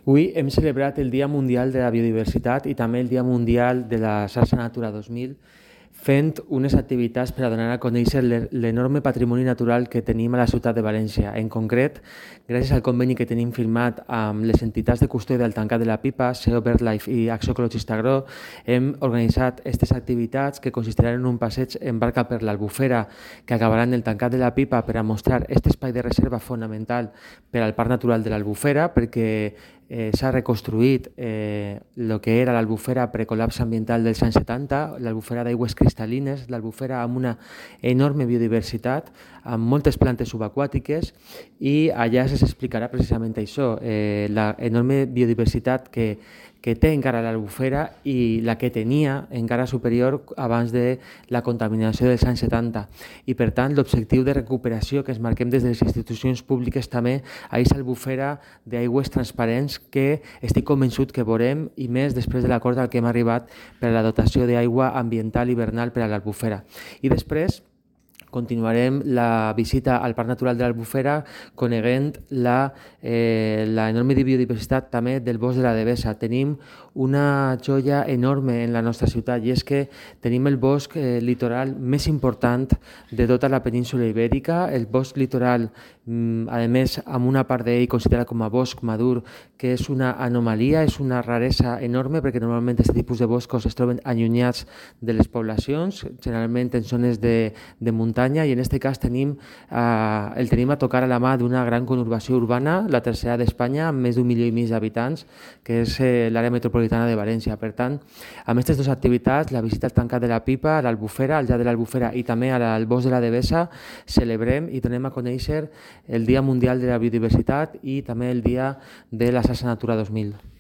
Avui hem celebrat el Dia Mundial de la Biodiversitat i també el Dia Mundial de la Xarxa Natura 2000, fent unes activitats per a donar a conèixer l'enorme patrimoni natural que tenim a la ciutat de València. En concret, gràcies al conveni que tenim firmat amb les entitats de custòdia del Tancat de la Pipa, SEO BirdLife i Acció Ecologista Agro, hem organitzat aquestes activitats que consistiran en un passeig en barca per l'Albufera que acabarà en el Tancat de la Pipa per a mostrar aquest espai de reserva fonamental per al Parc Natural de l'Albufera, perquè s'ha reconstruït el que era l'Albufera precol·lapse ambiental dels anys 70, l'Albufera d'aigües cristal·lines, l'Albufera amb una enorme biodiversitat, amb moltes plantes subaquàtiques, i allà s'explicarà precisament això, l'enorme biodiversitat que té encara l'Albufera i la que tenia encara superior abans de la contaminació dels anys 70. I per tant l'objectiu de recuperació que ens marquem des de les institucions públiques també a aquesta Albufera d'aigües transparents que estic convençut que veurem, i més després de l'acord al que hem arribat per a la dotació d'aigua ambiental hivernal per a l'Albufera. I després continuarem la visita al Parc Natural de l'Albufera coneguent l'enorme biodiversitat també del bosc de la Devesa. Tenim una joia enorme en la nostra ciutat, i és que tenim el bosc litoral més important de tota la península ibèrica, el bosc litoral, a més, amb una part d'ell considerat com a bosc madur, que és una anomalia, és una raresa enorme, perquè normalment aquest tipus de boscos es troben allunyats de les poblacions, generalment en zones de muntanya, i en aquest cas el tenim a tocar a la mà d'una gran conurbació urbana, la tercera d'Espanya, amb més d'1,5 milió d'habitants, que és l'àrea metropolitana de València. Per tant, amb aquestes dues activitats, la visita al Tancat de la Pipa, a l'Albufera, al llac de l'Albufera i també al bosc de la Devesa, celebrem i donem a conèixer el Dia Mundial de la Biodiversitat i també el Dia de la Xarxa Natura 2000.